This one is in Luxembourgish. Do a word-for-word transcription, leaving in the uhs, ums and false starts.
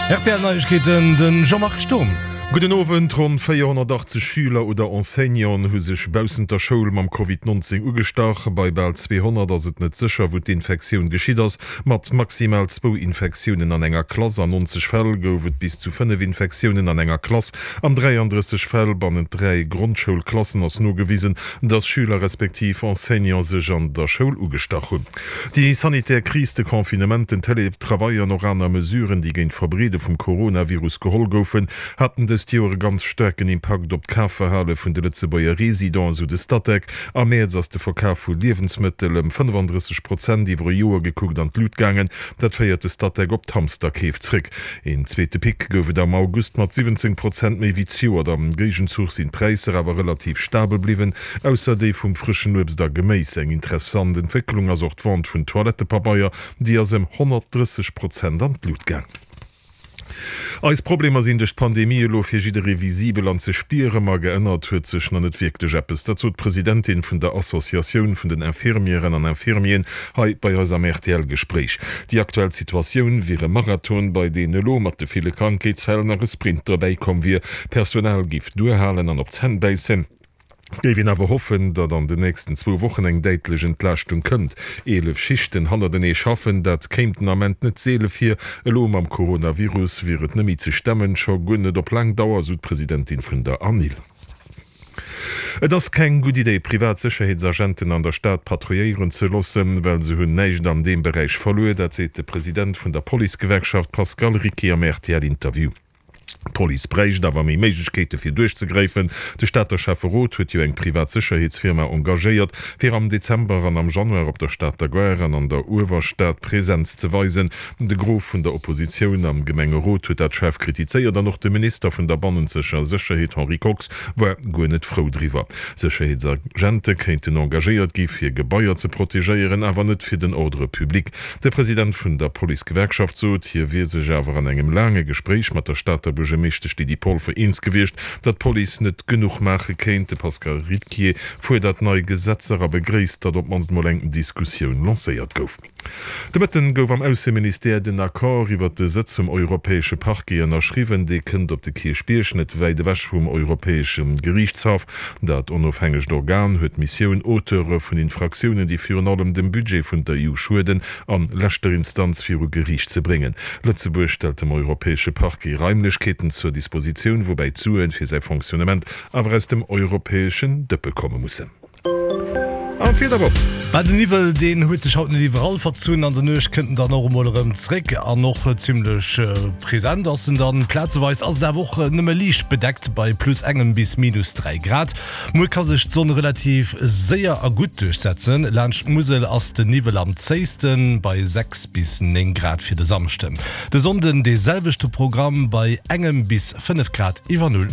R T L Neiegkeeten, den Jean-Marc Sturm. Gudden Owend, Ronn véierhonnertachtzeg Schüler oder Enseignanten hu sech baussent der Schoul mam Covid neunzéng ugestach. Bei bal zweehonnert ass et net sécher, wou d'Infektioun geschitt ass. Mat maximal zwou Infektiounen an enger Klass. An nonzeg Fäll gouf et bis zu fënnef Infektiounen an enger Klass. An dräiandrësseg Fäll bannent dräi Grondschoulklassen ass nogewisen, dass Schüler respektiv Enseignante sech an der Schoul ugestach hunn. Déi sanitär Kris, de Confinement, den Télétravail an och aner Mesuren, déi géint d'Verbreede vum Coronavirus geholl goufen, haten dëst Joer e ganz staarken Impakt op d'Kafverhale vun de Lëtzebuerger Residenten, esou de Statec. Am Mäerz ass de Verkaf vu Liewensmëttel ëm fënnefandrësseg Prozent iwwer e Joer gekuckt an d'Lut gaangen. Dat féiert de Statec op d'Hamsterkeef zréck. Een zweete Pic gouf et am August mat siwwenzéng Prozent méi wéi zejoert. Am Géigenzuch sinn d'Präisser awer relativ stabel bliwwen, ausser déi vum frëschen Uebst a Geméis. Eng interessant Entwécklung ass och d'Vente vun Toilettepabeier, déi ass ëm honnertdrësseg Prozent an d'Lut gaang. Eis Problemer sinn duerch d'Pandemie elo fir jidderee visibel an ze spieren, ma geännert huet sech nach net wierklech eppes. Dat sot d'Presidentin vun der Associatioun vun den Infirmièren an Infirmieren hei bei eis am R T L-Gespréich. Déi aktuell Situatioun wier e Marathon, bei deen elo mat de ville Krankheetsfäll nach e Sprint derbäi komm wier. D'Personal géif duerhalen an op d'Zänn bäissen. Et géif een awer hoffen, datt an den nächsten zwou Wochen eng däitlech Entlaaschtung kënnt. Eelef Schichten hannertenee schaffen, dat kéim den Ament net seele vir. Elo mam Coronavirus wier et net méi ze stemmen, scho guer net op laang Dauer, sou d'Presidentin vun der ANIL. Et ass keng gutt Idee, privat Sécherheetsagenten an der Stad patrouilléieren ze loossen, well se hunn näischt an deem Beräich verluer. Dat seet de President vun der Policegewerkschaft Pascal Ricquier am R T L-Interview. D'Police bräicht awer méi Méiglechkeete fir duerchzegräifen. De Stater Schäfferot huet jo eng privat Sécherheetsfirma engagéiert, fir am Dezember an am Januar op der Stater Gare an an der Uewerstad Presenz ze weisen. De Gros vun der Oppositioun am Gemengerot huet dat schaarf kritizéiert an och de Minister vun der bannenzeger Sécherheet Henri Kox war guer net frou driwwer. Sécherheetsagente kéinten engagéiert gi fir Gebaier ze protegéieren, awer net fir den Ordre public. De President vun der Policegewerkschaft sot, hie wier sech awer an engem laange Gespréich mat der Stater Buergermeeschtesch Lydie Polfer eens gewiescht, datt d'Police net genuch maache kéint. De Pascal Ricquier fuerdert nei Gesetzer a begréisst, datt op d'mannst mol eng Diskussioun lancéiert gouf. De Mëtten gouf am Ausseministère den Accord iwwert de Sëtz vum Europäesche Parquet ënnerschriwwen. Dee kënnt op de Kierchbierg, net wäit ewech vum Europäesche Geriichtshaff. Dat onofhängegt Organ huet d'Missioun, Auteure vun Infraktiounen, déi virun allem dem Budget vun der E U schueden, an leschter Instanz viru Geriicht ze bréngen. Lëtzebuerg stellt dem Europäesche Parquet Raimlechkeeten zur Dispositioun, woubäi d'Sue fir säi Fonctionnement awer aus dem europäeschen Dëppe komme mussen. An d'Wieder op. Mä den Niwwel, deen huet sech haut net iwwerall verzunn. An der Nuecht kënnt en dann och emol erëm zréck an och zimmlech present ass en dann. Plazeweis ass et awer och nëmme liicht bedeckt bei plus engem bis minus dräi Grad. Muer ka sech d'Sonn relativ séier a gutt duerchsetzen. Laanscht d'Musel ass den Niwwel am zéisten bei sechs bis néng Grad fir de Samschden. De Sonnden dee selwechte Programm bei engem bis fënnef Grad iwwer Null.